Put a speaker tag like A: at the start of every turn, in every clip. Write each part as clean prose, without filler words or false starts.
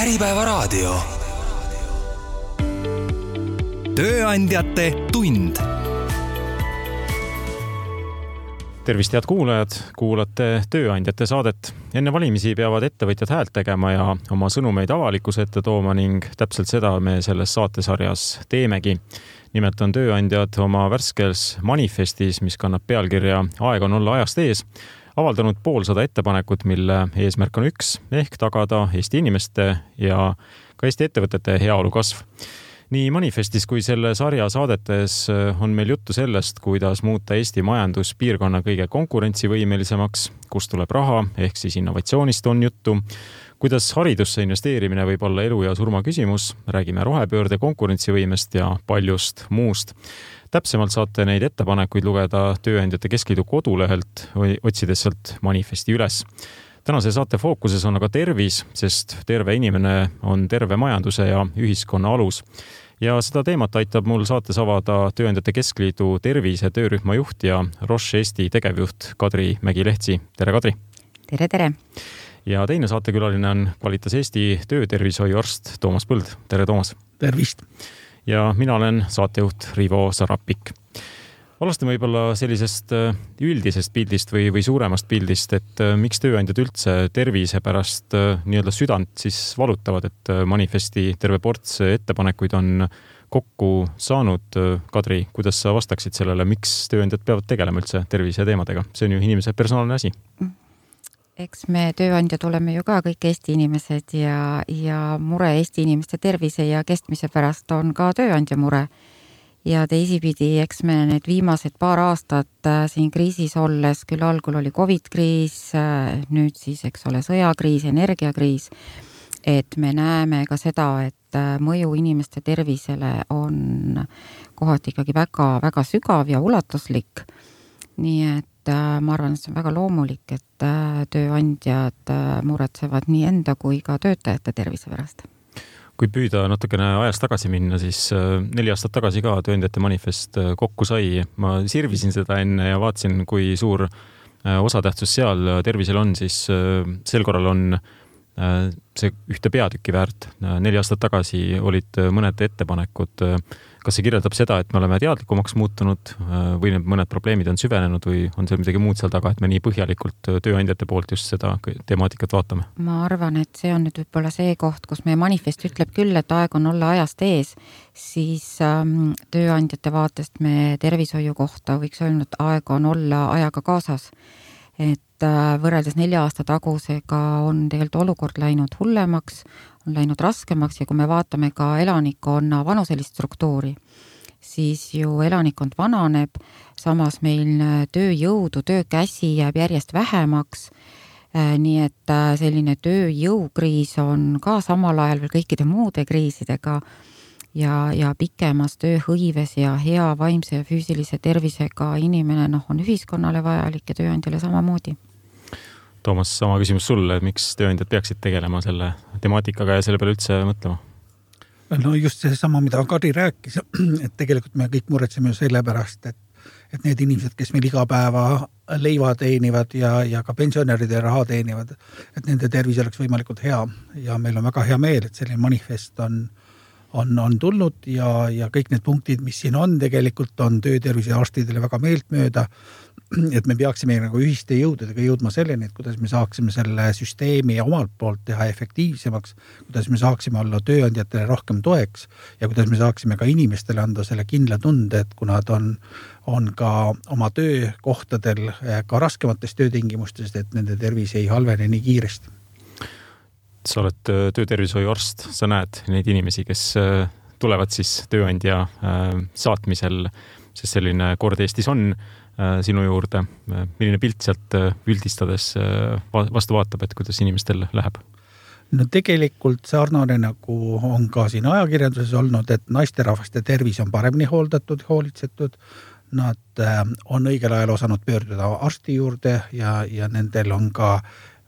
A: Äripäevaraadio. Tööandjate tund. Tervist, head kuulajad, kuulate Tööandjate saadet. Enne valimisi peavad ettevõtjad häält tegema ja oma sõnumeid avalikkuse ette tooma ning täpselt seda me selles saatesarjas teemegi. Nimelt on tööandjad oma värskes manifestis, mis kannab pealkirja Aeg on olla ajast ees, avaldanud 500 ettepanekut, mille eesmärk on üks, ehk tagada Eesti inimeste ja ka Eesti ettevõtete heaolu kasv. Nii manifestis kui selle sarja saadetes on meil juttu sellest, kuidas muuta Eesti majandus piirkonna kõige konkurentsivõimelisemaks, kust tuleb raha, ehk siis innovatsioonist on juttu, kuidas haridusse investeerimine võib olla elu ja surma küsimus, räägime rohepöörde konkurentsivõimest ja paljust muust. Täpsemalt saate neid ettepanekuid lugeda Tööandjate Keskliidu kodulehelt, otsides sealt manifesti üles. Tänase saate fookuses on aga tervis, sest terve inimene on terve majanduse ja ühiskonna alus. Ja seda teemat aitab mul saates avada Tööandjate Keskliidu tervise töörühma juht ja Roche Eesti tegevjuht Kadri Mägi-Lehtsi. Tere, Kadri!
B: Tere, tere!
A: Ja teine saatekülaline on Kvalitas Eesti töötervishoiuarst Toomas Põld. Tere, Toomas!
C: Tervist!
A: Ja mina olen saatejuht Rivo Sarapik. Alustame võib-olla sellisest üldisest pildist või suuremast pildist, et miks tööandjad üldse tervise pärast nii-öelda südant siis valutavad, et manifesti terve ports ettepanekuid on kokku saanud. Kadri, kuidas sa vastaksid sellele, miks tööandjad peavad tegelema üldse tervise teemadega? See on ju inimese personaalne asi.
B: Eks me tööandjad oleme ju ka kõik Eesti inimesed ja mure Eesti inimeste tervise ja kestmise pärast on ka tööandja mure. Ja teisipidi, eks me need viimased paar aastat siin kriisis olles, küll algul oli COVID-kriis, nüüd siis, eks ole, sõjakriis, energiakriis, et me näeme ka seda, et mõju inimeste tervisele on kohati ikkagi väga, väga sügav ja ulatuslik. Nii et ma arvan, et see on väga loomulik, et tööandjad muretsevad nii enda kui ka töötajate tervise pärast.
A: Kui püüda natukene ajast tagasi minna, siis 4 aastat tagasi ka tööandjate manifest kokku sai. Ma sirvisin seda enne ja vaatasin, kui suur osatähtsus seal tervisel on, siis sel korral on see ühte peatükki väärt. 4 aastat tagasi olid mõned ettepanekud. Kas see kirjeldab seda, et me oleme teadlikumaks muutunud või mõned probleemid on süvenenud või on seal midagi muud seal taga, et me nii põhjalikult tööandjate poolt just seda temaatikat vaatame?
B: Ma arvan, et see on nüüd võib-olla see koht, kus meie manifest ütleb küll, et aeg on olla ajast ees, siis tööandjate vaatest me tervishoiu kohta võiks öelda, et aeg on olla ajaga kaasas. Et võrreldes 4 aasta tagusega on tegelikult olukord läinud hullemaks, on läinud raskemaks ja kui me vaatame ka elanikkonna vanuselist struktuuri, siis ju elanikkond vananeb, samas meil tööjõudu, töökäsi jääb järjest vähemaks, nii et selline tööjõukriis on ka samal ajal veel kõikide muude kriisidega ja pikemas tööhõives ja hea vaimse ja füüsilise tervisega inimene on ühiskonnale vajalik ja tööandjale samamoodi.
A: Toomas, sama küsimus sulle, et miks tööandjad peaksid tegelema selle temaatikaga ja selle peale üldse mõtlema?
C: No just see sama, mida Kadri rääkis, et tegelikult me kõik muretseme selle pärast, et need inimesed, kes meil iga päeva leiva teenivad ja ka pensionäride raha teenivad, et nende tervis oleks võimalikult hea ja meil on väga hea meel, et selline manifest on tulnud ja kõik need punktid, mis siin on, tegelikult on töötervise arstidele väga meeltmööda, et me peaksime nagu ühiste jõududega jõudma selleni, et kuidas me saaksime selle süsteemi omalt poolt teha efektiivsemaks, kuidas me saaksime olla tööandjatele rohkem toeks ja kuidas me saaksime ka inimestele anda selle kindla tunde, et kuna nad on ka oma töökohtadel ka raskemates töötingimustest, et nende tervis ei halvene nii kiiresti.
A: Sa oled töötervishoiuarst, sa näed neid inimesi, kes tulevad siis tööandja saatmisel, sest selline kord Eestis on sinu juurde. Milline pilt sealt üldistades vastu vaatab, et kuidas inimestel läheb?
C: No tegelikult sarnane nagu on ka siin ajakirjanduses olnud, et naisterahvaste tervis on paremini hooldatud, hoolitsetud. Nad on õigel ajal osanud pöörduda arsti juurde ja nendel on ka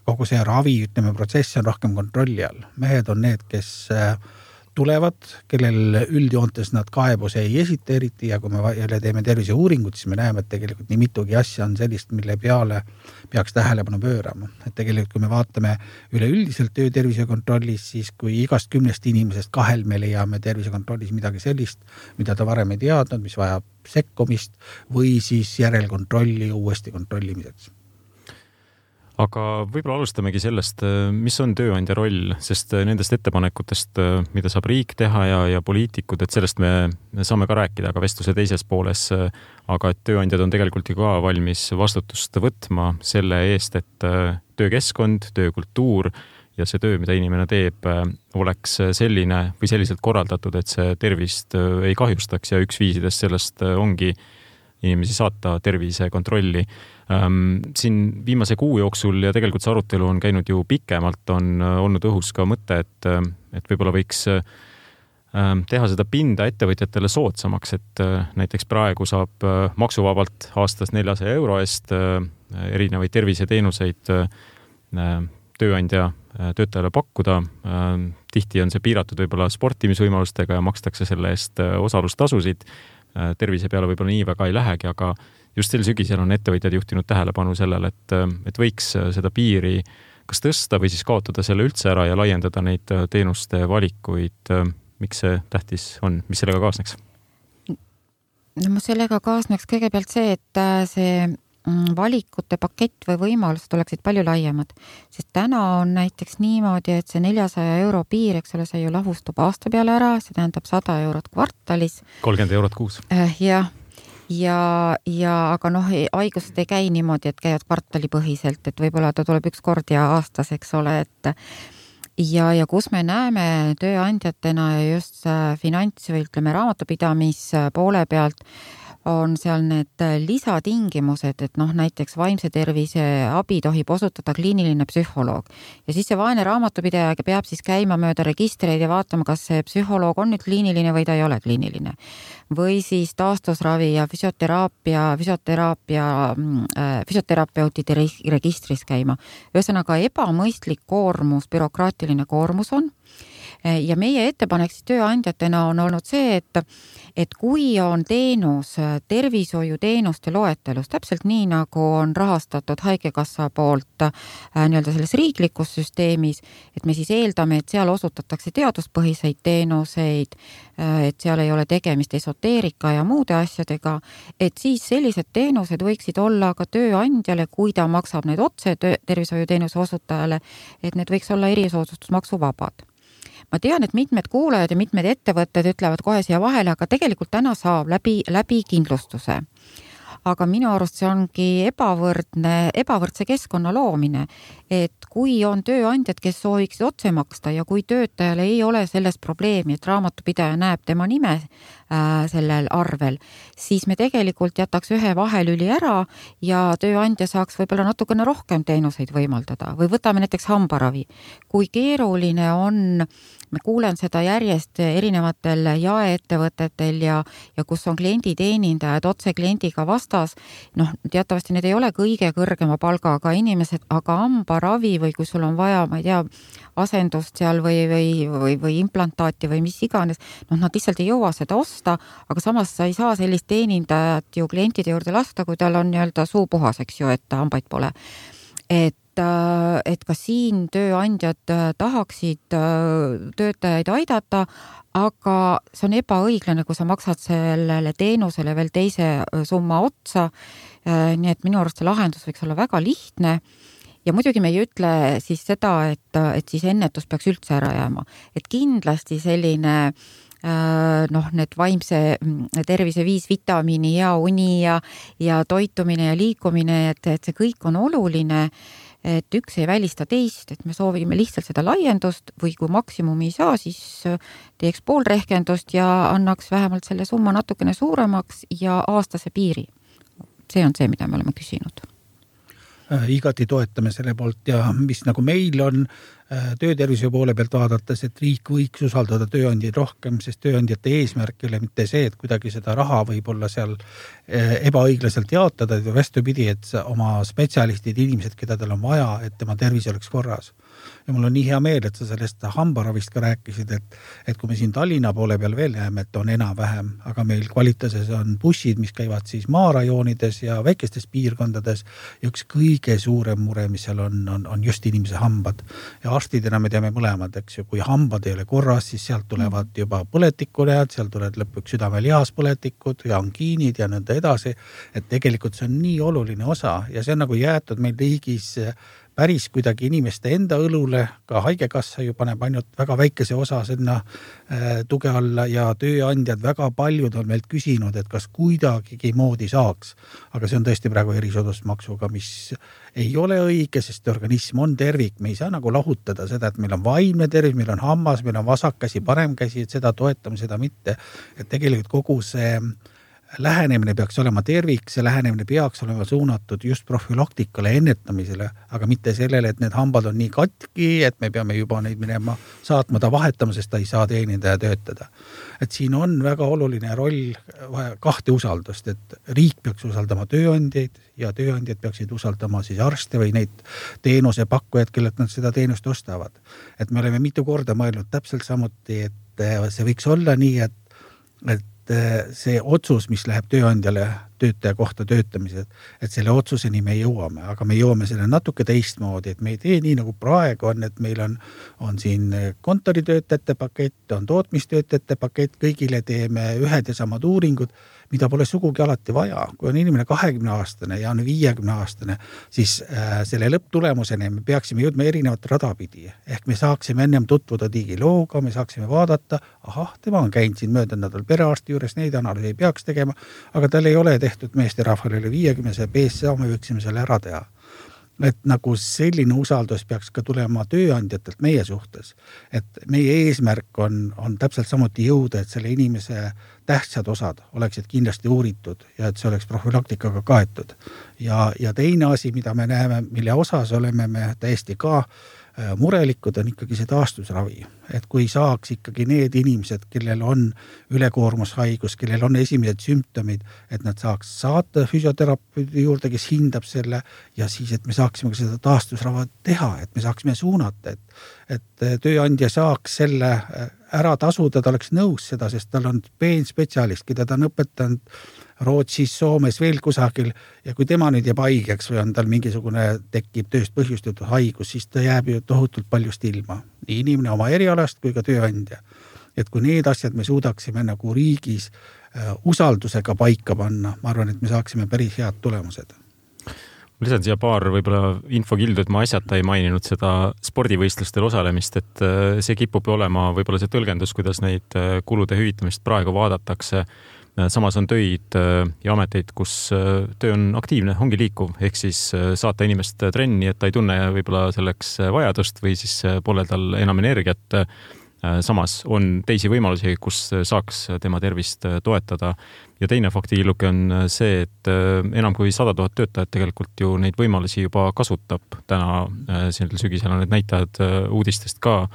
C: kogu see ravi, protsess on rohkem kontrolli all. Mehed on need, kes tulevad, kellel üldjoontes nad kaebuse ei esita eriti ja kui me jälle teeme terviseuuringut, siis me näeme, et tegelikult nii mitugi asja on sellist, mille peale peaks tähelepanu pöörama. Et tegelikult, kui me vaatame üleüldiselt töötervisekontrollis, siis kui igast 10 inimesest 2 me leiame tervisekontrollis midagi sellist, mida ta varem ei teadnud, mis vajab sekkumist või siis järelkontrolli uuesti kontrollimiseks.
A: Aga võib-olla alustamegi sellest, mis on tööandja roll, sest nendest ettepanekutest, mida saab riik teha ja poliitikud, et sellest me saame ka rääkida ka vestluse teises pooles, aga et tööandjad on tegelikult ju ka valmis vastutust võtma selle eest, et töökeskkond, töökultuur ja see töö, mida inimene teeb, oleks selline või selliselt korraldatud, et see tervist ei kahjustaks ja üks viisidest sellest ongi inimesi saata tervisekontrolli. Siin viimase kuu jooksul ja tegelikult see arutelu on käinud ju pikemalt, on olnud õhus ka mõte, et võib-olla võiks teha seda pinda ettevõtjatele soodsamaks, et näiteks praegu saab maksuvabalt aastas 400 euro eest erinevaid terviseteenuseid tööandja töötajale pakkuda. Tihti on see piiratud võib-olla sportimisvõimalustega ja makstakse selle eest osalustasusid. Tervise peale võib-olla nii väga ei lähegi, aga just sel sügisel on ettevõtjad juhtinud tähelepanu sellele, et võiks seda piiri kas tõsta või siis kaotada selle üldse ära ja laiendada neid teenuste valikuid. Miks see tähtis on? Mis sellega kaasneks?
B: No sellega kaasneks kõigepealt see, et see valikute pakett või võimalused oleksid palju laiemad, sest täna on näiteks niimoodi, et see 400 euro piir, eks ole, see ju lahustub aasta peale ära, see tähendab 100 eurot kvartalis.
A: 30 eurot kuus.
B: Jah. Ja aga haigused ei käi niimoodi, et käivad kvartalipõhiselt, et võib-olla ta tuleb üks kord ja aastas, eks ole, et ja kus me näeme tööandjatena ja just finants või ütleme raamatupidamis poole pealt on seal need lisatingimused, et näiteks vaimse tervise abi tohib osutada kliiniline psühholoog. Ja siis see vaene raamatupidaja peab siis käima mööda registreid ja vaatama, kas see psühholoog on nüüd kliiniline või ta ei ole kliiniline. Või siis taastusravi ja füsioterapeutide registris käima. Ühesõnaga ebamõistlik koormus, bürokraatiline koormus on. Ja meie ettepanek siis tööandjatena on olnud see, et kui on teenus tervishoiuteenuste loetelus, täpselt nii nagu on rahastatud Haigekassa poolt nii-öelda selles riiklikus süsteemis, et me siis eeldame, et seal osutatakse teaduspõhiseid teenuseid, et seal ei ole tegemist esoteerika ja muude asjadega, et siis sellised teenused võiksid olla ka tööandjale, kui ta maksab need otse tervishoiuteenuse osutajale, et need võiks olla erisoodustusmaksuvabad. Ma tean, et mitmed kuulajad ja mitmed ettevõtted ütlevad kohe siia vahele, aga tegelikult täna saab läbi kindlustuse. Aga minu arust see ongi ebavõrdse keskkonna loomine, et kui on tööandjad, kes sooviksid otse maksta ja kui töötajale ei ole selles probleemi, et raamatupidaja näeb tema nime sellel arvel, siis me tegelikult jätaks ühe vahelüli ära ja tööandja saaks võib-olla natukene rohkem teenuseid võimaldada. Või võtame näiteks hambaravi. Kui keeruline on, me kuulen seda järjest erinevatel jaeettevõtetel ja kus on klienditeenindajad otse kliendiga vastas, teatavasti need ei ole kõige kõrgema palgaga inimesed, aga hambaravi või kui sul on vaja, ma ei tea, asendust seal või implantaati või mis iganes, nad lihtsalt ei jõua seda osta, aga samas sa ei saa sellist teenindajat ju klientide juurde lasta, kui tal on nii-öelda suu puhas, eks ju, et hambaid pole. Et ka siin tööandjad tahaksid töötajaid aidata, aga see on ebaõiglane, kui sa maksad sellele teenusele veel teise summa otsa. Nii et minu arust see lahendus võiks olla väga lihtne. Ja muidugi me ei ütle siis seda, et siis ennetus peaks üldse ära jääma. Et kindlasti selline need vaimse tervise 5 vitamiini, hea uni ja toitumine ja liikumine, et see kõik on oluline, et üks ei välista teist, et me soovime lihtsalt seda laiendust või kui maksimumi ei saa, siis teeks pool rehkendust ja annaks vähemalt selle summa natukene suuremaks ja aastase piiri. See on see, mida me oleme küsinud.
C: Igati toetame selle poolt ja mis nagu meil on töötervise poole pealt vaadates, et riik võiks usaldada tööandjaid rohkem, sest tööandjate eesmärk ei ole mitte see, et kuidagi seda raha võib-olla seal ebaõiglaselt jaotada, või vastupidi, et oma spetsialistid, inimesed, keda tal on vaja, et tema tervis oleks korras. ja mul on nii hea meel, et sa sellest hambaravist ka rääkisid, et kui me siin Tallinna poole peal veel näeme, et on enam-vähem, aga meil Kvalitases on bussid, mis käivad siis maarajoonides ja väikestes piirkondades ja üks kõige suurem mure, mis seal on just inimese hambad. Ja arstidena me teame mõlemad, eks ju, kui hambad ei ole korras, siis sealt tulevad juba põletikunäad, sealt tulevad lõpuks südamelihas-põletikud ja angiinid ja nõnda edasi, et tegelikult see on nii oluline osa ja see on nagu jäetud meil riigis päris kuidagi inimeste enda õlule, ka haigekassa ju paneb ainult väga väikese osa sinna tuge alla ja tööandjad väga paljud on meilt küsinud, et kas kuidagigi moodi saaks. Aga see on tõesti praegu erisoodustusmaksuga, mis ei ole õige, sest organism on tervik. Me ei saa nagu lahutada seda, et meil on vaimne tervis, meil on hammas, meil on vasakkäsi, paremkäsi, et seda toetame, seda mitte. Et tegelikult kogu see lähenemine peaks olema tervik, see lähenemine peaks olema suunatud just profülaktikale, ennetamisele, aga mitte sellele, et need hambad on nii katki, et me peame juba neid minema saatma ta vahetama, sest ta ei saa teenida ja töötada. Et siin on väga oluline roll kahte usaldust, et riik peaks usaldama tööandjaid ja tööandjad peaksid usaldama siis arste või neid teenuse pakkujad, kellelt nad seda teenust ostavad. Et me oleme mitu korda mõelnud täpselt samuti, et see võiks olla nii, et see otsus, mis läheb tööandjale töötaja kohta töötamised, et selle otsuseni me jõuame, aga me jõuame selle natuke teistmoodi, et me ei tee nii nagu praegu on, et meil on siin kontoritöötajate pakett, on tootmistöötajate pakett, kõigile teeme ühed ja samad uuringud, mida pole sugugi alati vaja. Kui on inimene 20-aastane ja on 50-aastane, siis selle lõpptulemuseni me peaksime jõudma erinevat radapidi. Ehk me saaksime ennem tutvuda digilooga, me saaksime vaadata, tema on käinud siin möödunud nädal perearsti juures, neid analüüse ei peaks tegema, aga tal ei ole tehtud meesterahvale üle 50 BSA, me võiksime selle ära teha. Et nagu selline usaldus peaks ka tulema tööandjatelt meie suhtes, et meie eesmärk on täpselt samuti jõuda, et selle inimese tähtsad osad oleksid kindlasti uuritud ja et see oleks profülaktikaga kaetud. Ja teine asi, mida me näeme, mille osas oleme me täiesti ka murelikud, on ikkagi see taastusravi. Et kui saaks ikkagi need inimesed, kellel on ülekoormushaigus, kellel on esimesed sümptomid, et nad saaks saata füsioterapeudi juurde, kes hindab selle ja siis, et me saaksime seda taastusrava teha, et me saaksime suunata, et tööandja saaks selle ära tasuda, ta oleks nõus seda, sest tal on spetsialist, keda ta on õpetanud Rootsis, Soomes, veel kusagil ja kui tema nüüd jääb haigeks või on tal mingisugune tekib tööst põhjustatud haigus, siis ta jääb ju tohutult paljust ilma. Nii inimene oma erialast kui ka tööandja. Et kui need asjad me suudaksime nagu riigis usaldusega paika panna, ma arvan, et me saaksime päris head tulemused.
A: Lisan siia paar võib-olla infokildu, et ma asjata ei maininud seda spordivõistlustel osalemist, et see kipub olema võib-olla see tõlgendus, kuidas neid kulude hüvitamist praegu vaadatakse. Samas on töid ja ameteid, kus töö on aktiivne, ongi liikuv, ehk siis saata inimest trenni, et ta ei tunne võib-olla selleks vajadust või siis pole tal enam energiat. Samas on teisi võimalusi, kus saaks tema tervist toetada. Ja teine faktikilluke on see, et enam kui 100 000 töötajad tegelikult ju neid võimalusi juba kasutab. Täna sellel sügisel on need näitajad uudistest ka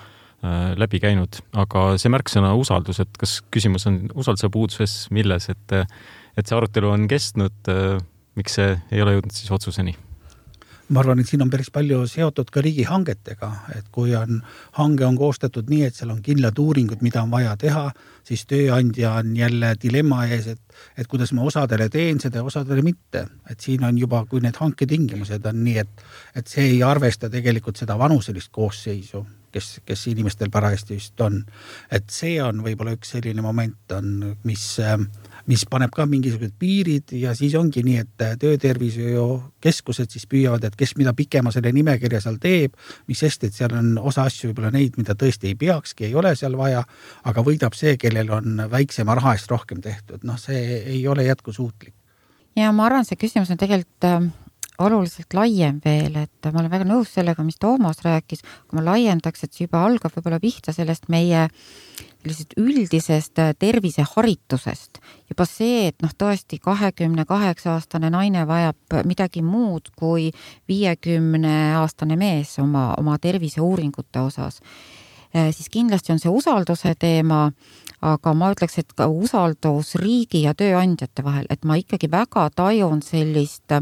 A: läbi käinud, aga see märksõna usaldus, et kas küsimus on usalduse puuduses, milles, et see arutelu on kestnud, miks see ei ole jõudnud siis otsuseni?
C: Ma arvan, et siin on päris palju seotud ka riigihangetega, et kui hange on koostatud nii, et seal on kindlad uuringud, mida on vaja teha, siis tööandja on jälle dilemma ees, et kuidas ma osadele teen seda ja osadele mitte. Et siin on juba, kui need hanketingimused on nii, et see ei arvesta tegelikult seda vanuselist koosseisu, kes inimestel parajasti just on. Et see on võib-olla üks selline moment, mis paneb ka mingisugused piirid ja siis ongi nii, et töötervishoiu keskused siis püüavad, et kes mida pikema selle nimekirja seal teeb, mis sest, et seal on osa asju võib-olla neid, mida tõesti ei peakski, ei ole seal vaja, aga võidab see, kellel on väiksema raha eest rohkem tehtud. See ei ole jätkusuutlik.
B: Ja ma arvan, see küsimus on tegelikult oluliselt laiem veel, et ma olen väga nõus sellega, mis Toomas rääkis, kui ma laiendaks, et see juba algab võib-olla pihta sellest meie üldisest terviseharitusest. Juba see, et tõesti 28-aastane naine vajab midagi muud kui 50-aastane mees oma terviseuuringute osas. Siis kindlasti on see usalduse teema, aga ma ütleks, et ka usaldus riigi ja tööandjate vahel, et ma ikkagi väga tajun sellist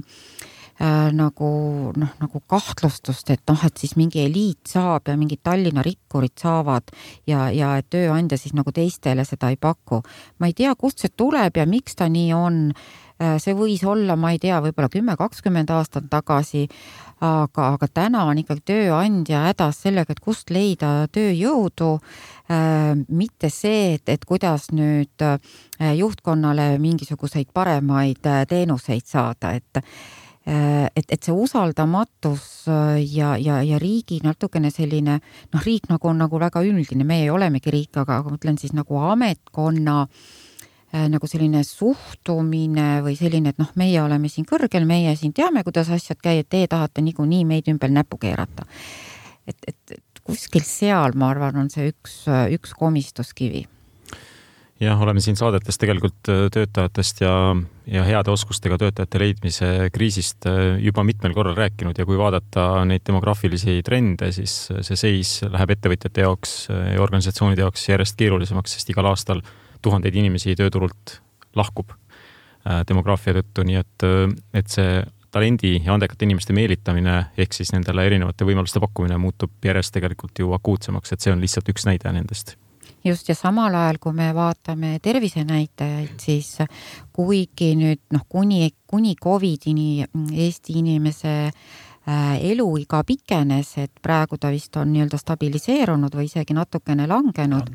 B: nagu kahtlustust, et et siis mingi eliit saab ja mingid Tallinna rikkurid saavad ja et tööandja siis nagu teistele seda ei paku. Ma ei tea, kust see tuleb ja miks ta nii on. See võis olla, ma ei tea, võib-olla 10-20 aastat tagasi, aga täna on ikkagi tööandja hädas sellega, et kust leida tööjõudu, mitte see, et kuidas nüüd juhtkonnale mingisuguseid paremaid teenuseid saada, et see usaldamatus ja riigi natukene selline, riik nagu on nagu väga üldine, meie olemegi riik, aga mõtlen siis nagu ametkonna nagu selline suhtumine või selline, et meie oleme siin kõrgel, meie siin teame, kuidas asjad käivad, te tahate niikuinii meid ümber näpu keerata. Et kuskil seal, ma arvan, on see üks komistuskivi.
A: Jah, oleme siin saadetes tegelikult töötajatest ja heade oskustega töötajate leidmise kriisist juba mitmel korral rääkinud ja kui vaadata neid demograafilisi trende, siis see seis läheb ettevõtjate jaoks ja organisatsioonide jaoks järjest keerulisemaks, sest igal aastal tuhandeid inimesi tööturult lahkub demograafia tõttu, nii et see talendi ja andekate inimeste meelitamine ehk siis nendele erinevate võimaluste pakkumine muutub järjest tegelikult ju akuutsemaks, et see on lihtsalt üks näide nendest.
B: Just ja samal ajal, kui me vaatame tervisenäitajaid, siis kuigi nüüd kuni COVID-ini Eesti inimese eluiga pikenes, et praegu ta vist on nii-öelda stabiliseerunud või isegi natukene langenud,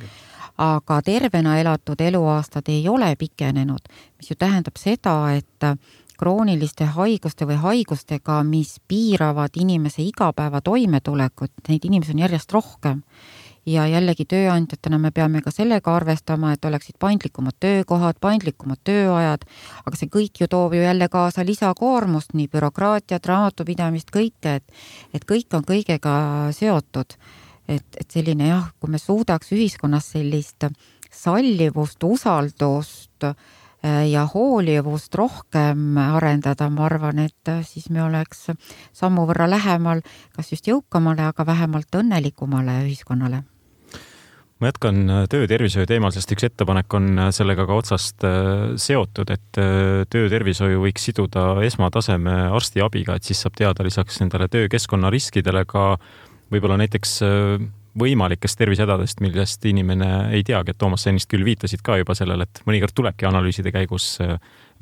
B: aga tervena elatud eluaastad ei ole pikenenud, mis ju tähendab seda, et krooniliste haiguste või haigustega, mis piiravad inimese igapäeva toimetulekut, neid inimesi on järjest rohkem. Ja jällegi tööandjatena me peame ka sellega arvestama, et oleksid paindlikumad töökohad, paindlikumad tööajad, aga see kõik ju toob ju jälle kaasa lisakoormust, nii bürokraatiat, raamatupidamist, kõike, et kõik on kõigega seotud. Et selline kui me suudaks ühiskonnas sellist sallivust, usaldust ja hoolivust rohkem arendada, ma arvan, et siis me oleks sammu võrra lähemal kas just jõukamale, aga vähemalt õnnelikumale ühiskonnale.
A: Ma jätkan töötervishoiu teemal, sest üks ettepanek on sellega ka otsast seotud, et töötervishoiu võiks siduda esmataseme arstiabiga, et siis saab teada lisaks nendele töökeskkonna riskidele ka võib-olla näiteks võimalikest tervisehädadest, millest inimene ei teagi, et Toomas, sa ennist küll viitasid ka juba sellele, et mõnikord tulebki analüüside käigus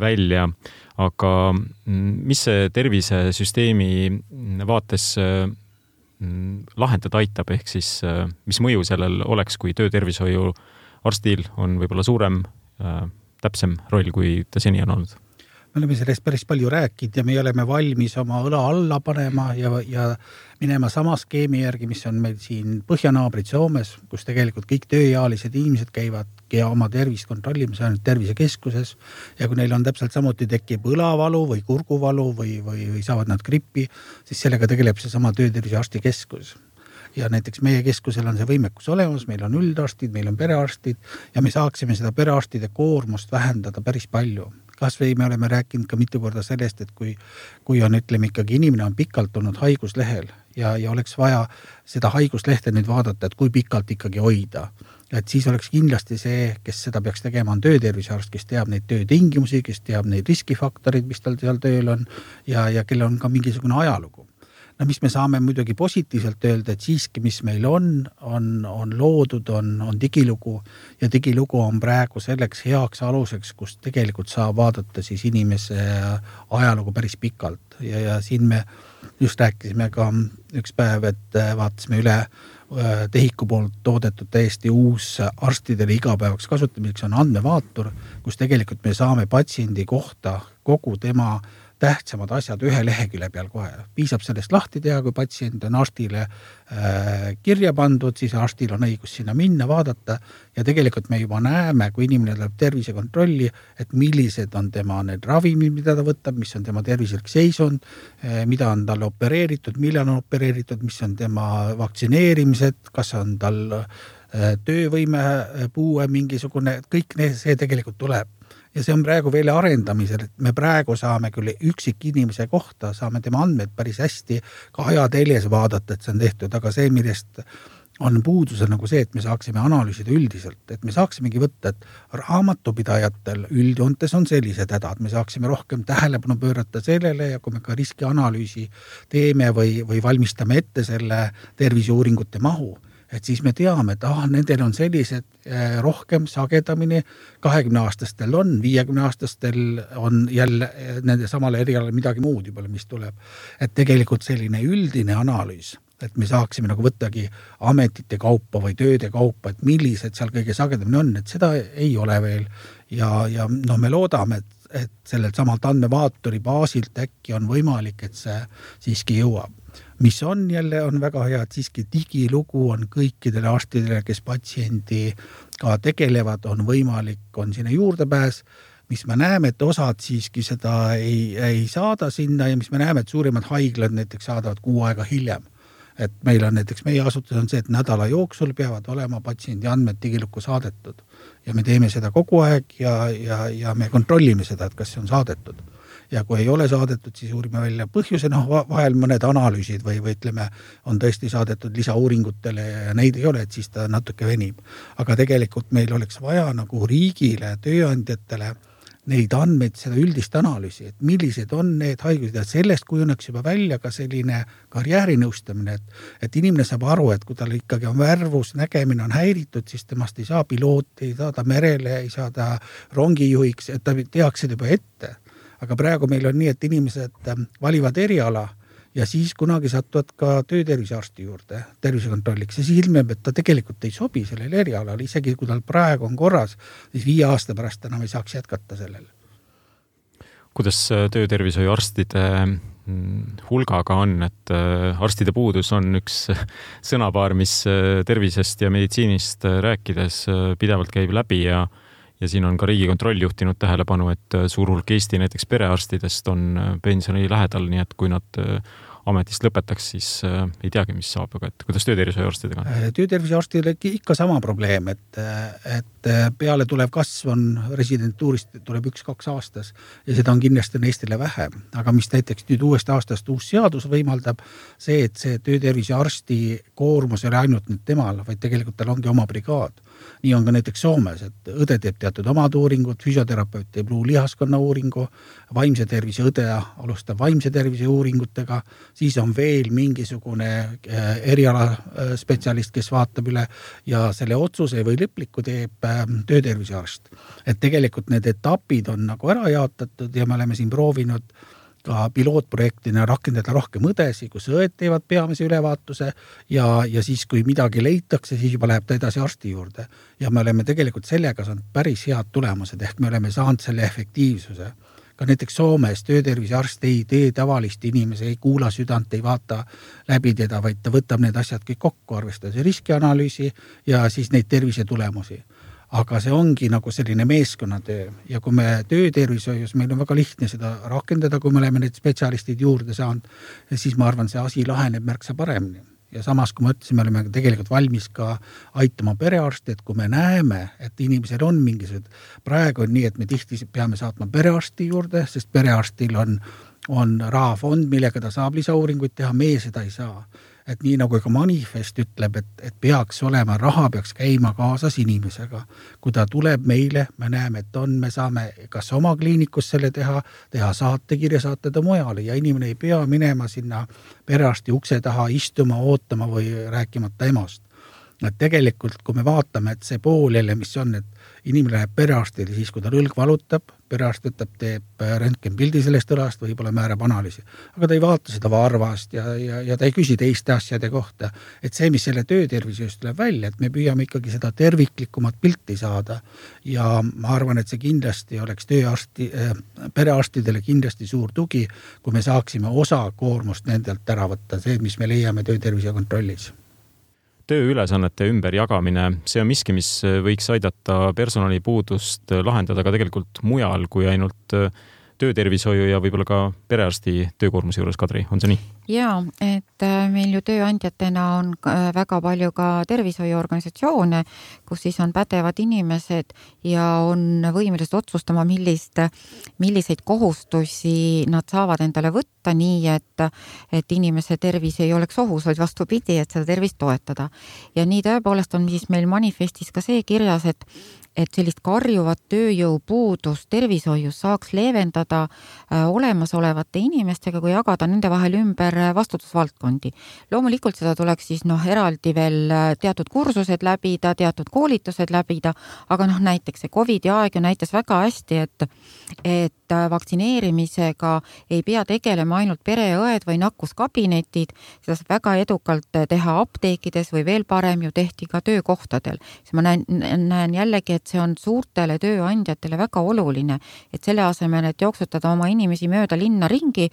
A: välja, aga mis see tervisesüsteemi vaates lahendada aitab, ehk siis mis mõju sellel oleks, kui töötervishoiu arstil on võib-olla suurem, täpsem roll, kui ta seni on olnud?
C: Me oleme sellest päris palju rääkinud ja me oleme valmis oma õla alla panema ja minema sama skeemi järgi, mis on meil siin põhjanaabrid Soomes, kus tegelikult kõik tööealised inimesed käivad ja oma tervist kontrollimas ainult tervisekeskuses ja kui neil on täpselt samuti tekib õlavalu või kurguvalu või saavad nad grippi, siis sellega tegeleb see sama töötervisearsti keskus. Ja näiteks meie keskusel on see võimekus olemas, meil on üldarstid, meil on perearstid ja me saaksime seda perearstide koormust vähendada päris palju. Kas või me oleme rääkinud ka mitu korda sellest, et kui on, ütleme ikkagi inimene on pikalt olnud haiguslehel ja oleks vaja seda haiguslehte nüüd vaadata, et kui pikalt ikkagi hoida. Et siis oleks kindlasti see, kes seda peaks tegema, on töötervisearst, kes teab neid töötingimusi, kes teab neid riskifaktorid, mis tal seal tööl on ja kelle on ka mingisugune ajalugu. No mis me saame muidugi positiivselt öelda, et siiski, mis meil on loodud, on digilugu ja digilugu on praegu selleks heaks aluseks, kus tegelikult saab vaadata siis inimese ajalugu päris pikalt ja siin me just rääkisime ka üks päev, et vaatasime üle Tehiku poolt toodetud täiesti uus arstidele igapäevaks kasutamiseks on andmevaatur, kus tegelikult me saame patsiendi kohta kogu tema tähtsamad asjad ühe lehekülje peal kohe. Piisab sellest lahti teha, kui patsient on arstile kirja pandud, siis arstil on õigus sinna minna, vaadata ja tegelikult me juba näeme, kui inimene tuleb tervisekontrolli, et millised on tema need ravimid, mida ta võtab, mis on tema tervislik seisund, mida on tal opereeritud, millal on opereeritud, mis on tema vaktsineerimised, kas on tal töövõime puue mingisugune, kõik see tegelikult tuleb. Ja see on praegu veel arendamisel, et me praegu saame küll üksik inimese kohta, saame tema andmed päris hästi ka ajateljes vaadata, et see on tehtud, aga see, millest on puudus nagu see, et me saaksime analüüsida üldiselt, et me saaksimegi võtta, et raamatupidajatel üldjoontes on sellised hädad, me saaksime rohkem tähelepanu pöörata sellele ja kui me ka riskianalüüsi teeme või valmistame ette selle terviseuuringute mahu, et siis me teame, et nendel on sellised rohkem sagedamini, 20-aastastel on, 50-aastastel on jälle nende samale erialale midagi muud juba, mis tuleb. Et tegelikult selline üldine analüüs, et me saaksime nagu võttagi ametite kaupa või tööde kaupa, et millised seal kõige sagedamini on, et seda ei ole veel. Ja me loodame, et sellelt samalt andmevaatori baasilt äkki on võimalik, et see siiski jõuab. Mis on jälle on väga hea, et siiski digilugu on kõikidele arstidele, kes patsiendi ka tegelevad, on võimalik, on sinna juurdepääs, mis me näeme, et osad siiski seda ei saada sinna ja mis me näeme, et suurimad haiglad näiteks saadavad 6 aega hiljem. Et meil on näiteks, meie asutus on see, et nädala jooksul peavad olema patsiendi andmed digilukku saadetud ja me teeme seda kogu aeg ja me kontrollime seda, et kas see on saadetud. Ja kui ei ole saadetud, siis uurime välja põhjuse, vahel mõned analüüsid või ütleme, on tõesti saadetud lisauuringutele ja neid ei ole, et siis ta natuke venib. Aga tegelikult meil oleks vaja nagu riigile, tööandjatele neid andmeid, seda üldist analüüsi, et millised on need haigused ja sellest kujuneks juba välja ka selline karjäärinõustamine, et inimene saab aru, et kui tal ikkagi on värvus, nägemine on häiritud, siis temast ei saa pilooti, ei saa ta merele, ei saa ta rongijuhiks, et ta tehakse juba ette. Aga praegu meil on nii, et inimesed valivad eriala ja siis kunagi satuvad ka töötervisearsti juurde tervisekontrolliks ja siis ilmeb, et ta tegelikult ei sobi sellele erialale, isegi kui tal praegu on korras, siis 5 aasta pärast enam ei saaks jätkata sellele.
A: Kuidas töötervishoiuarstide hulgaga on, et arstide puudus on üks sõnapaar, mis tervisest ja meditsiinist rääkides pidevalt käib läbi ja siin on ka Riigikontroll juhtinud tähelepanu, et suur hulk Eesti näiteks perearstidest on pensioni lähedal, nii et kui nad ametist lõpetaks, siis ei teagi, mis saab, aga et kuidas töötervishoiuarstidega on?
C: Töötervishoiuarstidele ikka sama probleem, et peale tulev kasv on residentuurist tuleb 1-2 aastas ja seda on kindlasti Eestile vähem. Aga mis näiteks nüüd uuest aastast uus seadus võimaldab, see, et see töötervishoiuarsti koormus ei ole ainult nüüd temal, vaid tegelikult tal ongi oma brigaad. Nii on ka näiteks Soomes, et õde teeb teatud omad uuringud, füsioterapeut teeb luulihaskonna uuringu, vaimse tervise õde alustab vaimse tervise uuringutega, siis on veel mingisugune eriala spetsialist, kes vaatab üle ja selle otsuse või lõpliku teeb töötervisearst. Et tegelikult need etapid on nagu ära jaotatud ja me oleme siin proovinud ka pilootprojektina rakendada rohkem õdesi, kus õed teevad peamise ülevaatuse ja siis, kui midagi leitakse, siis juba läheb ta edasi arsti juurde. Ja me oleme tegelikult sellega saanud päris head tulemused, ehk me oleme saanud selle efektiivsuse. Ka näiteks Soomes töötervisearst ei tee tavalist inimese, ei kuula südant, ei vaata läbi teda, vaid ta võtab need asjad kõik kokku, arvestades riskianalüüsi ja siis neid tervise tulemusi. Aga see ongi nagu selline meeskonnatöö ja kui me töötervishoius, meil on väga lihtne seda rakendada, kui me oleme need spetsialistid juurde saanud, siis ma arvan, see asi laheneb märksa paremini. Ja samas, kui ma ütlesin, me oleme tegelikult valmis ka aitama perearsti, et kui me näeme, et inimesel on mingisugused, praegu on nii, et me tihti peame saatma perearsti juurde, sest perearstil on rahafond, millega ta saab lisauuringuid teha, meie seda ei saa. Et nii nagu ka manifest ütleb, et peaks olema, raha peaks käima kaasas inimesega. Kui ta tuleb meile, me näeme, et me saame kas oma kliinikus selle teha saatekirja, saata ta mujale ja inimene ei pea minema sinna perearsti ukse taha istuma, ootama või rääkimata emast. Et tegelikult, kui me vaatame, et see pool jälle, mis on, et inimene läheb perearstile, siis kui ta õlg valutab, perearst võtab, teeb röntgenpildi sellest õlast, võib-olla määrab analüüsi. Aga ta ei vaata seda varvast ja ta ei küsi teiste asjade kohta. Et see, mis selle töötervishoiust tuleb välja, et me püüame ikkagi seda terviklikumat pilti saada. Ja ma arvan, et see kindlasti oleks perearstidele kindlasti suur tugi, kui me saaksime osa koormust nendelt ära võtta, see, mis me leiame töötervise kontrollis.
A: Tööülesannete ümberjagamine, see on miski, mis võiks aidata personalipuudust lahendada ka tegelikult mujal kui ainult töötervishoiu ja võib-olla ka perearsti töökoormuse juures, Kadri, on see nii?
B: Jaa, et meil ju tööandjatena on väga palju ka tervishoiuorganisatsioone, kus siis on pädevad inimesed ja on võimelised otsustama, milliseid kohustusi nad saavad endale võtta nii, et inimese tervis ei oleks ohus, vaid vastupidi, et seda tervist toetada. Ja nii tõepoolest on siis meil manifestis ka see kirjas, et sellist karjuvat tööjõupuudust tervishoius saaks leevendada olemasolevate inimestega, kui jagada nende vahel ümber vastutusvaldkondi. Loomulikult seda tuleks siis eraldi veel teatud kursused läbida, teatud koolitused läbida, aga näiteks see COVID-i aeg ju näitas väga hästi, et vaktsineerimisega ei pea tegelema ainult pereõed või nakkuskabinetid, seda saab väga edukalt teha apteekides või veel parem ju tehti ka töökohtadel. Ma näen jällegi, et see on suurtele tööandjatele väga oluline, et selle asemel, et jooksutada oma inimesi mööda linna ringi,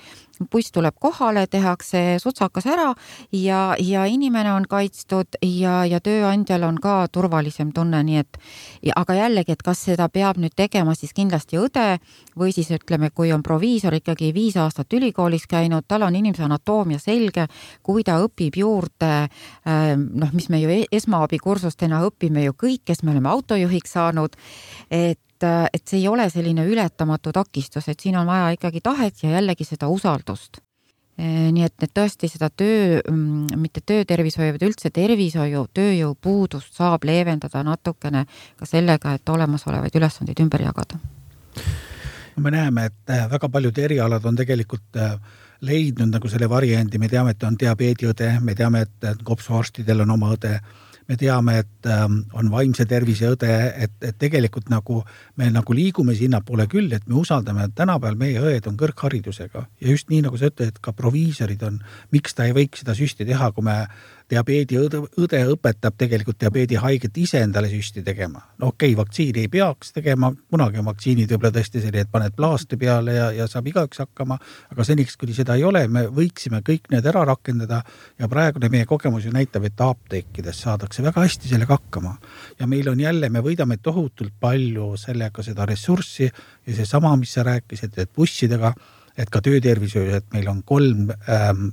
B: buss tuleb kohale, tehakse sutsakas ära ja inimene on kaitstud ja tööandjal on ka turvalisem tunne, nii et aga jällegi, et kas seda peab nüüd tegema siis kindlasti õde või siis ütleme, kui on proviisor ikkagi 5 aastat ülikoolis käinud, tal on inimese anatoomia selge, kui ta õpib juurde, mis me ju esmaabikursustena õpime ju kõik, kes me oleme autojuhiks saanud, et see ei ole selline ületamatu takistus, et siin on vaja ikkagi tahet ja jällegi seda usaldust. Nii et tõesti seda mitte töötervishoiu, vaid üldse tervishoiu, tööjõupuudust saab leevendada natukene ka sellega, et olemasolevaid ülesandeid ümber jagada.
C: Me näeme, et väga paljud erialad on tegelikult leidnud nagu selle variandi, me teame, et on diabeediõde, me teame, et kopsuarstidel on oma õde, me teame, et on vaimse tervise õde, et tegelikult nagu me nagu liigume sinnapoole küll, et me usaldame, et tänapäeval meie õed on kõrgharidusega ja just nii, nagu sa ütled, et ka proviisorid on, miks ta ei võiks seda süsti teha, kui me diabeediõde õpetab tegelikult diabeedihaiget ise endale süsti tegema. No okei, vaktsiini ei peaks tegema, kunagi on vaktsiinid võib-olla tõesti selline, et paned plaasti peale ja saab igaüks hakkama, aga seniks, kuni seda ei ole, me võiksime kõik need ära rakendada ja praegune meie kogemus ju näitab, et apteekides saadakse väga hästi sellega hakkama. Ja meil on jälle, me võidame tohutult palju sellega seda ressurssi ja see sama, mis sa rääkisid, et bussidega, et ka töötervishoius, et meil on 3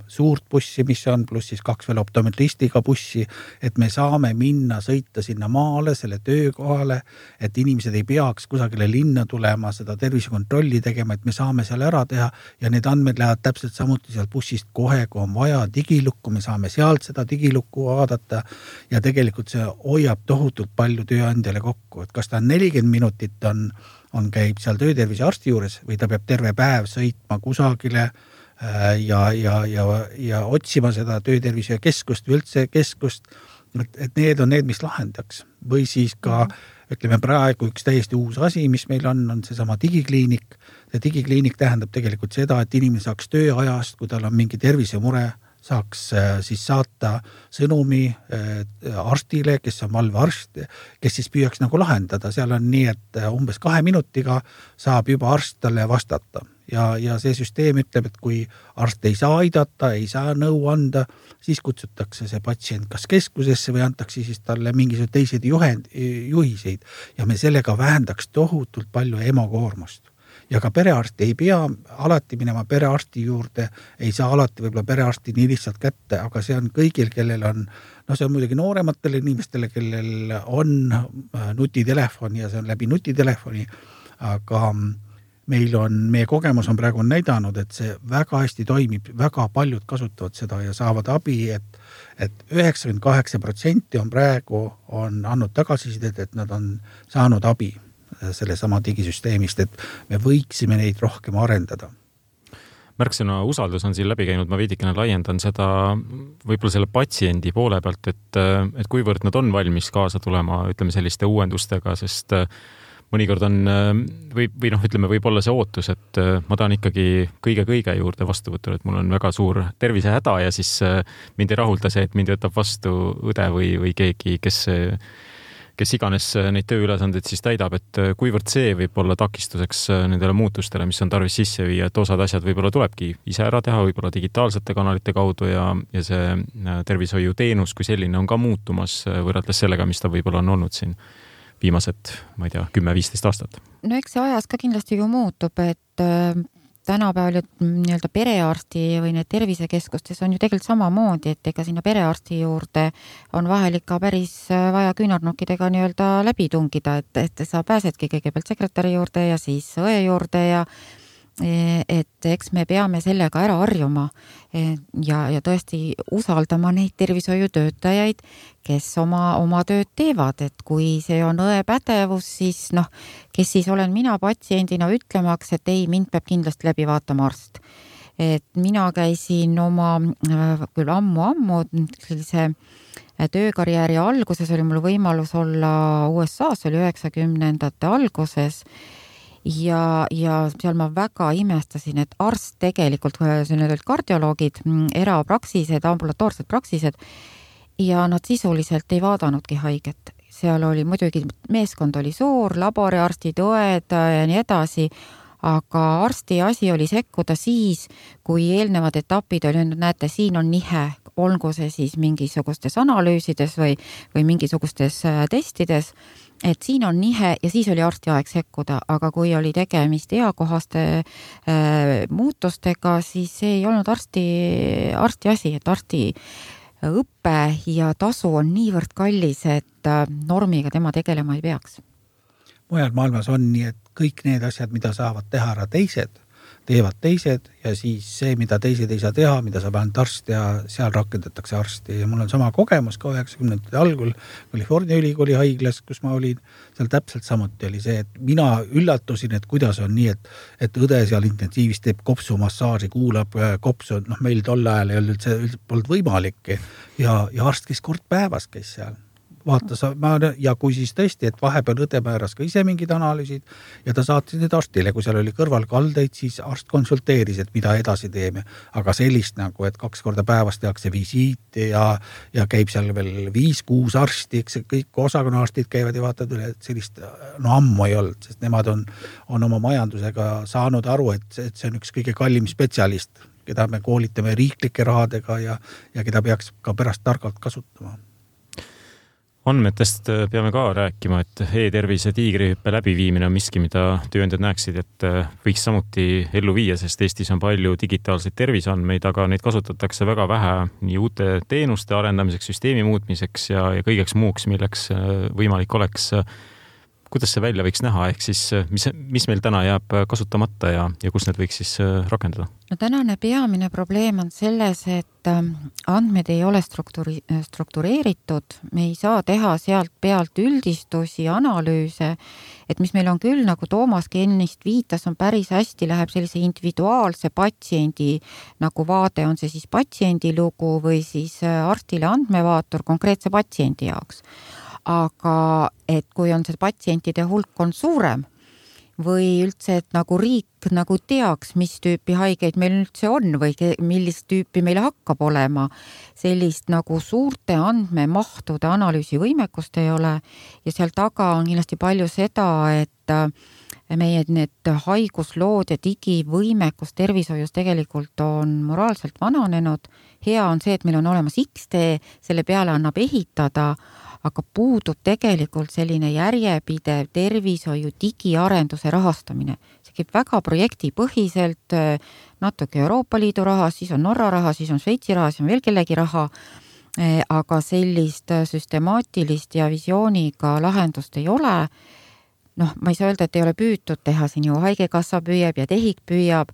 C: suurt bussi, mis on, pluss siis 2 veel optometristiga bussi, et me saame minna, sõita sinna maale, selle töökohale, et inimesed ei peaks kusagile linna tulema, seda tervisekontrolli tegema, et me saame seal ära teha ja need andmed lähevad täpselt samuti seal bussist kohe, kui on vaja digilukku, me saame sealt seda digilukku vaadata ja tegelikult see hoiab tohutult palju tööandjale kokku, et kas ta on 40 minutit on käib seal töötervise arsti juures või ta peab terve päev sõitma kusagile ja otsima seda töötervise keskust või üldse keskust, et need on need, mis lahendaks. Või siis ka, ütleme praegu üks täiesti uus asi, mis meil on seesama digikliinik. See digikliinik tähendab tegelikult seda, et inimene saaks tööajast, kui tal on mingi tervisemure, saaks siis saata sõnumi arstile, kes on valvearst, kes siis püüaks nagu lahendada. Seal on nii, et umbes 2 minutiga saab juba arst talle vastata. Ja see süsteem ütleb, et kui arst ei saa aidata, ei saa nõu anda, siis kutsutakse see patsient kas keskusesse või antakse siis talle mingisugused teised juhiseid. Ja me sellega vähendaks tohutult palju emokoormust. Ja ka perearsti ei pea alati minema perearsti juurde, ei saa alati võib-olla perearsti nii lihtsalt kätte, aga see on kõigil, kellel on, see on muidugi noorematele inimestele, kellel on nutitelefon ja see on läbi nutitelefoni, aga meie kogemus on praegu näidanud, et see väga hästi toimib, väga paljud kasutavad seda ja saavad abi, et 98% on praegu andnud tagasisidet, et nad on saanud abi selle sama digisüsteemist, et me võiksime neid rohkem arendada.
A: Märksõna usaldus on siin läbi käinud, ma veidikene laiendan seda võib-olla selle patsiendi poole pealt, et kuivõrd nad on valmis kaasa tulema, ütleme selliste uuendustega, sest mõnikord on ütleme, võib olla see ootus, et ma tahan ikkagi kõige juurde vastuvõtul, et mul on väga suur tervisehäda ja siis mind ei rahulda see, et mind võtab vastu õde või keegi, kes iganes neid tööülesandeid siis täidab, et kuivõrd see võib olla takistuseks nendele muutustele, mis on tarvis sisse viia, et osad asjad võib-olla tulebki ise ära teha, võib-olla digitaalsete kanalite kaudu ja see tervishoiuteenus kui selline on ka muutumas võrreldes sellega, mis ta võib-olla on olnud siin viimased, ma ei tea, 10-15 aastat.
B: No eks see ajas ka kindlasti ju muutub, et tänapäeval nii-öelda perearsti või need tervisekeskustes on ju tegelikult samamoodi, et ega sinna perearsti juurde on vahel ikka päris vaja küünarnukkidega nii-öelda läbi tungida, et sa pääsedki kõigepealt sekretäri juurde ja siis õe juurde ja et eks me peame sellega ära harjuma ja tõesti usaldama neid tervishoiutöötajaid, kes oma tööd teevad, et kui see on õe pädevus, siis kes siis olen mina patsiendina ütlemaks, et ei, mind peab kindlasti läbi vaatama arst. Et mina käisin oma küll ammu sellise töökarjääri alguses, oli mul võimalus olla USA-s, oli 90ndate alguses ja seal ma väga imestasin, et arst tegelikult, need olid kardioloogid, erapraksised, ambulatoorsed praksised ja nad sisuliselt ei vaadanudki haiget. Seal oli muidugi, meeskond oli suur, laboriarstid, õed ja nii edasi, aga arsti asi oli sekkuda siis, kui eelnevad etapid oli, näete, siin on nihe, olgu see siis mingisugustes analüüsides või mingisugustes testides, et siin on nihe ja siis oli arsti aeg sekkuda, aga kui oli tegemist eakohaste muutustega, siis see ei olnud arsti asi, et arsti õppe ja tasu on niivõrd kallis, et normiga tema tegelema ei peaks.
C: Mujal maailmas on nii, et kõik need asjad, mida saavad teha ära teised, teevad teised ja siis see, mida teised ei saa teha, mida saab ainult arst ja seal rakendatakse arsti. Ja mul on sama kogemus ka 90ndate algul California ülikooli haiglas, kus ma olin, seal täpselt samuti oli see, et mina üllatusin, et kuidas on nii, et õde seal intensiivis teeb kopsumassaaži, kuulab kopsu, meil tol ajal ei olnud üldse polnud võimalik ja arst käis kord päevas käis seal. Vaatas, ja kui siis tõesti, et vahepeal õde määras ka ise mingid analüüsid ja ta saatis need arstile, kui seal oli kõrval kaldeid, siis arst konsulteeris, et mida edasi teeme. Aga sellist nagu, et 2 korda päevas tehakse visiit ja käib seal veel 5-6 arsti, eks kõik osakonnaarstid käivad ja vaatavad üle, et sellist ammu ei olnud, sest nemad on oma majandusega saanud aru, et see on üks kõige kallim spetsialist, keda me koolitame riiklike rahadega ja keda peaks ka pärast targalt kasutama.
A: Andmetest peame ka rääkima, et e-tervise tiigrihüppe läbiviimine on miski, mida tööandjad näeksid, et võiks samuti ellu viia, sest Eestis on palju digitaalseid terviseandmeid, aga neid kasutatakse väga vähe nii uute teenuste arendamiseks, süsteemi muutmiseks ja kõigeks muuks, milleks võimalik oleks. Kuidas see välja võiks näha, ehk siis mis meil täna jääb kasutamata ja kus need võiks siis rakendada?
B: No tänane peamine probleem on selles, et andmed ei ole struktureeritud, me ei saa teha sealt pealt üldistusi, analüüse, et mis meil on küll, nagu Toomas ennist viitas, on päris hästi, läheb sellise individuaalse patsiendi nagu vaade, on see siis patsiendi lugu või siis arstile andmevaatur konkreetse patsiendi jaoks. Aga et kui on see patsientide hulk on suurem või üldse, et nagu riik nagu teaks, mis tüüpi haigeid meil üldse on või millist tüüpi meil hakkab olema, sellist nagu suurte andmemahtude analüüsi võimekust ei ole ja seal taga on kindlasti palju seda, et meie need haiguslood ja digivõimekus tervishoius tegelikult on moraalselt vananenud. Hea on see, et meil on olemas XD, selle peale annab ehitada, aga puudub tegelikult selline järjepidev tervishoiu digiarenduse rahastamine. See käib väga projektipõhiselt, natuke Euroopa Liidu raha, siis on Norra raha, siis on Šveitsi raha, siis on veel kellegi raha, aga sellist süstemaatilist ja visiooniga lahendust ei ole. Ma ei saa öelda, et ei ole püütud teha, siin ju Haigekassa püüab ja TEHIK püüab,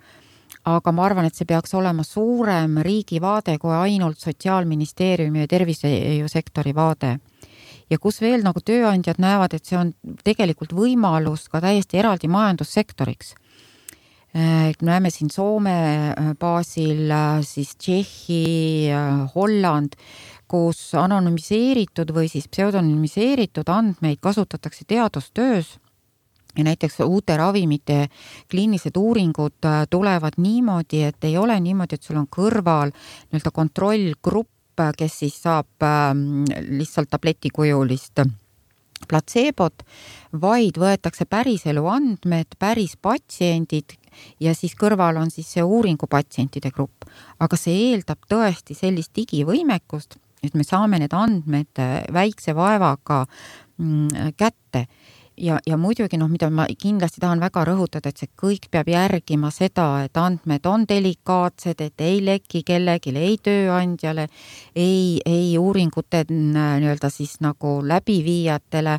B: aga ma arvan, et see peaks olema suurem riigi vaade kui ainult Sotsiaalministeeriumi ja tervishoiusektori vaade. Ja kus veel nagu tööandjad näevad, et see on tegelikult võimalus ka täiesti eraldi majandussektoriks. Näeme siin Soome baasil, siis Tšehhi, Holland, kus anonüümiseeritud või siis pseudonüümiseeritud andmeid kasutatakse teadustöös ja näiteks uute ravimite kliinilised uuringud tulevad niimoodi, et ei ole niimoodi, et sul on kõrval nii-öelda kontrollgrupp, kes siis saab lihtsalt tabletikujulist platseebot, vaid võetakse päris elu andmed, päris patsiendid ja siis kõrval on siis see uuringu patsientide grupp. Aga see eeldab tõesti sellist digivõimekust, et me saame need andmed väikse vaevaga kätte. ja muidugi, mida ma kindlasti tahan väga rõhutada, et see kõik peab järgima seda, et andmed on delikaatsed, et ei leki kellelegi, ei tööandjale, ei uuringute nii-öelda siis nagu läbiviijatele,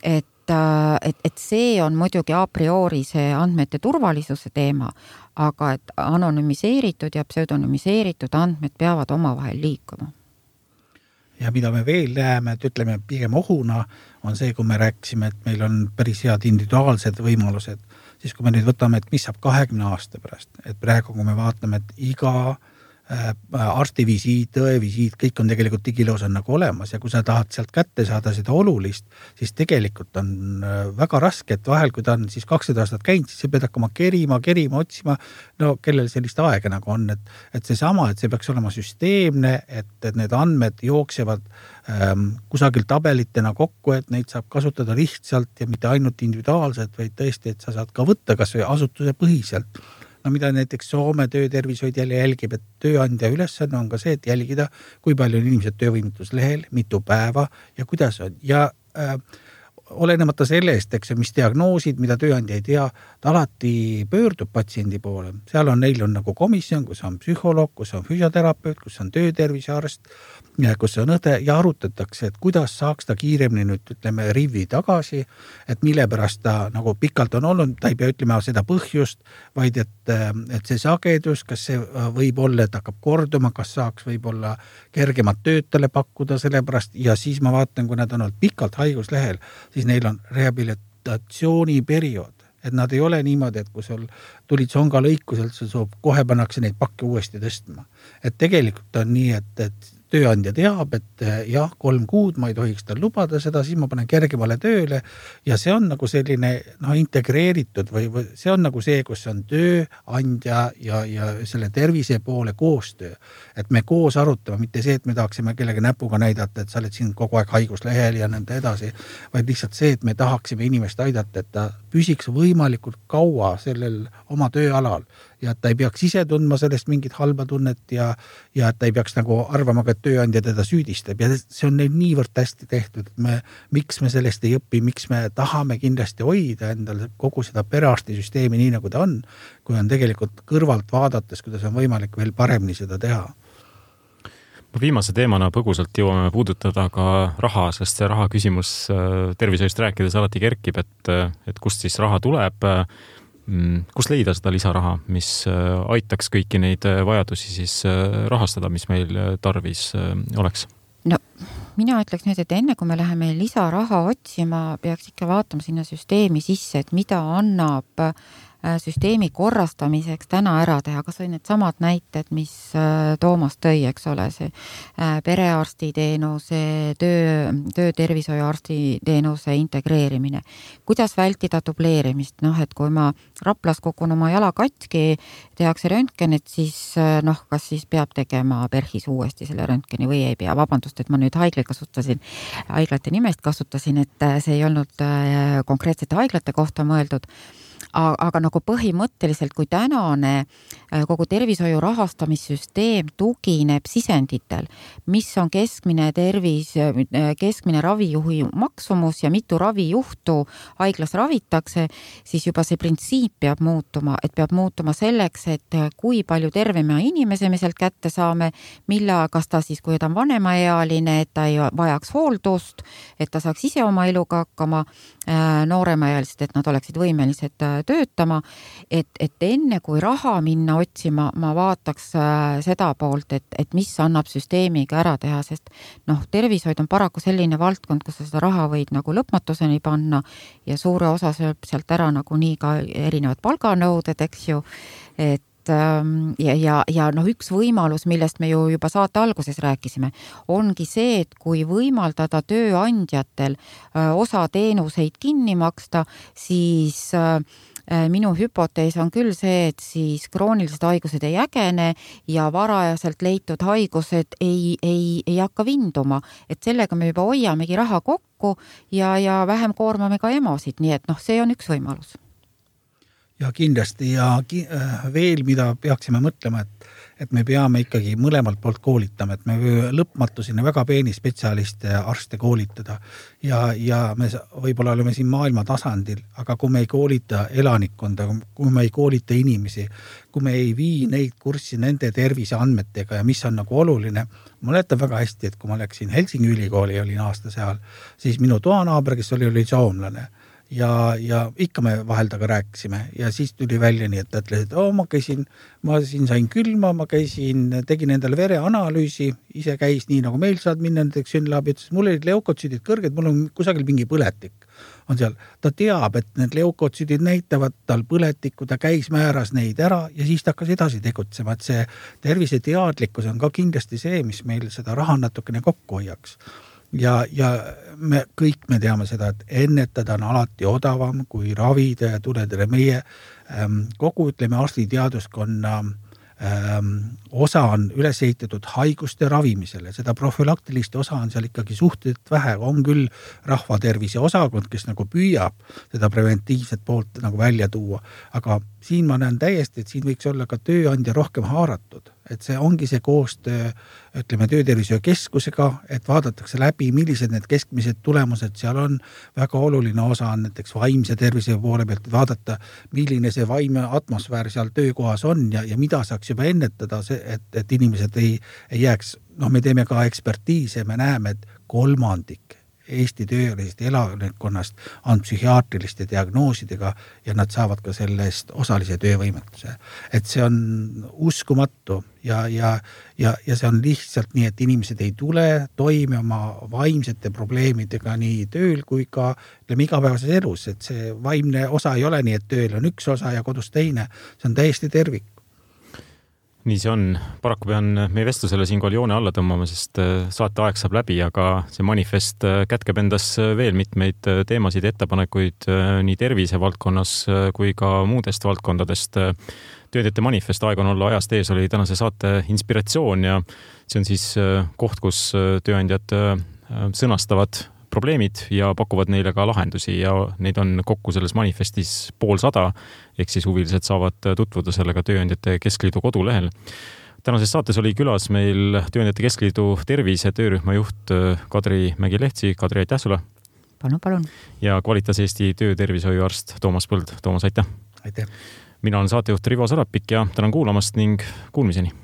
B: et see on muidugi a priori see andmete turvalisuse teema, aga et anonüümiseeritud ja pseudonüümiseeritud andmed peavad omavahel liikuma.
C: Ja mida me veel näeme, et ütleme pigem ohuna, on see, kui me rääkisime, et meil on päris head individuaalsed võimalused, siis kui me nüüd võtame, et mis saab 20 aasta pärast, et praegu kui me vaatame, et iga arstivisiit, tõevisiit, kõik on tegelikult digiloos on nagu olemas ja kui sa tahad sealt kätte saada seda olulist, siis tegelikult on väga raske, et vahel, kui ta on siis 200 aastat käinud, siis sa pead hakkama kerima, otsima, no kellel sellist aega nagu on, et seesama, et see peaks olema süsteemne, et need andmed jooksevad kusagil tabelitena kokku, et neid saab kasutada lihtsalt ja mitte ainult individuaalselt, vaid tõesti, et sa saad ka võtta kas või asutuse põhiselt. No mida näiteks Soome töötervishoid jälle jälgib, et tööandja ülesanne on ka see, et jälgida, kui palju on inimesed töövõimetuslehel, mitu päeva ja kuidas on. Ja olenemata sellest, eks, mis diagnoosid, mida tööandja ei tea, ta alati pöördub patsiendi poole. Seal on, neil on nagu komisjon, kus on psühholoog, kus on füsioterapeut, kus on töötervisearst, kus on õde ja arutatakse, et kuidas saaks ta kiiremini nüüd, ütleme, rivi tagasi, et mille pärast ta nagu pikalt on olnud, ta ei pea ütlema seda põhjust, vaid et see sagedus, kas see võib olla, et hakkab korduma, kas saaks võib-olla kergemat tööd talle pakkuda selle pärast ja siis ma vaatan, kui nad on olnud pikalt haiguslehel, siis neil on rehabilitatsiooniperiood. Et nad ei ole niimoodi, et kui sul tulid songa lõikuselt, sul kohe pannakse neid pakke uuesti tõstma. Et tegelikult on nii, et tööandja teab, et jah, 3 kuud ma ei tohiks tal lubada seda, siis ma panen kergemale tööle ja see on nagu selline integreeritud või see on nagu see, kus on tööandja ja selle tervise poole koostöö. Et me koos arutame, mitte see, et me tahaksime kellegi näpuga näidata, et sa oled siin kogu aeg haiguslehel ja nõnda edasi, vaid lihtsalt see, et me tahaksime inimest aidata, et ta püsiks võimalikult kaua sellel oma tööalal ja et ta ei peaks ise tundma sellest mingit halba tunnet ja et ta ei peaks nagu arvama, et tööandja teda süüdistab ja see on neil niivõrd hästi tehtud, et miks me sellest ei õpi, miks me tahame kindlasti hoida endal kogu seda perearstisüsteemi nii nagu ta on, kui on tegelikult kõrvalt vaadates, kuidas on võimalik veel paremini seda teha.
A: Viimase teemana põgusalt jõuame puudutada ka raha, sest see raha küsimus tervishoiust rääkides alati kerkib, et kust siis raha tuleb, kust leida seda lisaraha, mis aitaks kõiki neid vajadusi siis rahastada, mis meil tarvis oleks?
B: No, mina ütleks nüüd, et enne kui me läheme lisaraha otsima, peaks ikka vaatama sinna süsteemi sisse, et mida annab süsteemi korrastamiseks täna ära teha, kas või need samad näited, mis Toomas tõi, eks ole, see perearstiteenuse, töötervishoiuarstiteenuse integreerimine. Kuidas vältida dubleerimist? Et kui ma Raplas kukun oma jala katki, tehakse röntgen, et siis kas siis peab tegema PERHis uuesti selle röntgeni või ei pea. Vabandust, et ma nüüd haiglate nimest kasutasin, et see ei olnud konkreetsete haiglate kohta mõeldud. Aga nagu põhimõtteliselt, kui tänane kogu tervishoiu rahastamissüsteem tugineb sisenditel, mis on keskmine ravijuhi maksumus ja mitu ravijuhtu haiglas ravitakse, siis juba see printsiip peab muutuma, et peab muutuma selleks, et kui palju tervema inimese me sealt kätte saame, kas ta siis, kui ta on vanemaealine, et ta ei vajaks hooldust, et ta saaks ise oma eluga hakkama, nooremaealised, et nad oleksid võimelised töötama, et enne kui raha minna otsima, ma vaataks seda poolt, et mis annab süsteemiga ära teha, sest tervishoid on paraku selline valdkond, kus seda raha võid nagu lõpmatuseni panna ja suure osa sööb sealt ära nagu nii ka erinevad palganõuded, eks ju, et ja üks võimalus, millest me ju juba saate alguses rääkisime, ongi see, et kui võimaldada tööandjatel osa teenuseid kinni maksta, siis minu hüpotees on küll see, et siis kroonilised haigused ei ägene ja varajaselt leitud haigused ei hakka vinduma, et sellega me juba hoiamegi raha kokku ja vähem koormame ka emosid, nii et see on üks võimalus.
C: Ja kindlasti ja veel, mida peaksime mõtlema, et me peame ikkagi mõlemalt poolt koolitama, et me lõpmatuseni väga peeni spetsialiste ja arste koolitada ja me võib-olla oleme siin maailma tasandil, aga kui me ei koolita elanikkonda, kui me ei koolita inimesi, kui me ei vii neid kurssi nende terviseandmetega ja mis on nagu oluline, ma mäletan väga hästi, et kui ma läksin Helsingi ülikooli, olin aasta seal, siis minu toanaaber, kes oli soomlane ja ikka me vahel taga rääkisime ja siis tuli välja nii, et ta ütles, et ma siin sain külma, ma tegin endale vereanalüüsi, ise käis nii, nagu meil saad minna näiteks sünnlaabi, ütles, mul olid leukotsüüdid kõrged, mul on kusagil mingi põletik on seal. Ta teab, et need leukotsüüdid näitavad tal põletikku, ta käis määras neid ära ja siis ta hakkas edasi tegutsema, et see terviseteadlikkus on ka kindlasti see, mis meil seda raha natukene kokku hoiaks. Ja me teame seda, et ennetada on alati odavam kui ravida ja tuledele meie kogu, arstiteaduskonna osa on üles ehitatud haiguste ravimisele, seda profülaktilist osa on seal ikkagi suhteliselt vähe, on küll rahvatervise osakond, kes nagu püüab seda preventiivset poolt nagu välja tuua, aga siin ma näen täiesti, et siin võiks olla ka tööandja rohkem haaratud, et see ongi see koostöö, töötervishoiukeskusega, et vaadatakse läbi, millised need keskmised tulemused seal on, väga oluline osa on näiteks vaimse tervise poole pealt, vaadata, milline see vaimne atmosfäär seal töökohas on ja mida saaks juba ennetada, et inimesed ei jääks, me teeme ka ekspertiise, me näeme, et 1/3 Eesti töölisest elanikkonnast on psühhiaatriliste diagnoosidega ja nad saavad ka sellest osalise töövõimetuse. Et see on uskumatu ja see on lihtsalt nii, et inimesed ei tule toime oma vaimsete probleemidega nii tööl kui ka igapäevases elus, et see vaimne osa ei ole nii, et tööl on üks osa ja kodus teine, see on täiesti tervik.
A: Nii see on. Paraku pean meie vestlusele siinkohal joone alla tõmbama, sest saate aeg saab läbi, aga see manifest kätkeb endas veel mitmeid teemasid, ettepanekuid nii tervise valdkonnas kui ka muudest valdkondadest. Tööandjate manifest Aeg on olla ajast ees oli tänase saate inspiratsioon ja see on siis koht, kus tööandjad sõnastavad probleemid ja pakuvad neile ka lahendusi ja neid on kokku selles manifestis 150, ehk siis huvilised saavad tutvuda sellega Tööandjate Keskliidu kodulehel. Tänases saates oli külas meil Tööandjate Keskliidu tervise töörühma juht Kadri Mägi-Lehtsi. Kadri, aitäh sulle!
B: Palun!
A: Ja Qualitas Eesti töötervishoiuarst Toomas Põld. Toomas, aitäh!
C: Aitäh!
A: Mina olen saatejuht Rivo Sarapik ja tänan kuulamast ning kuulmiseni!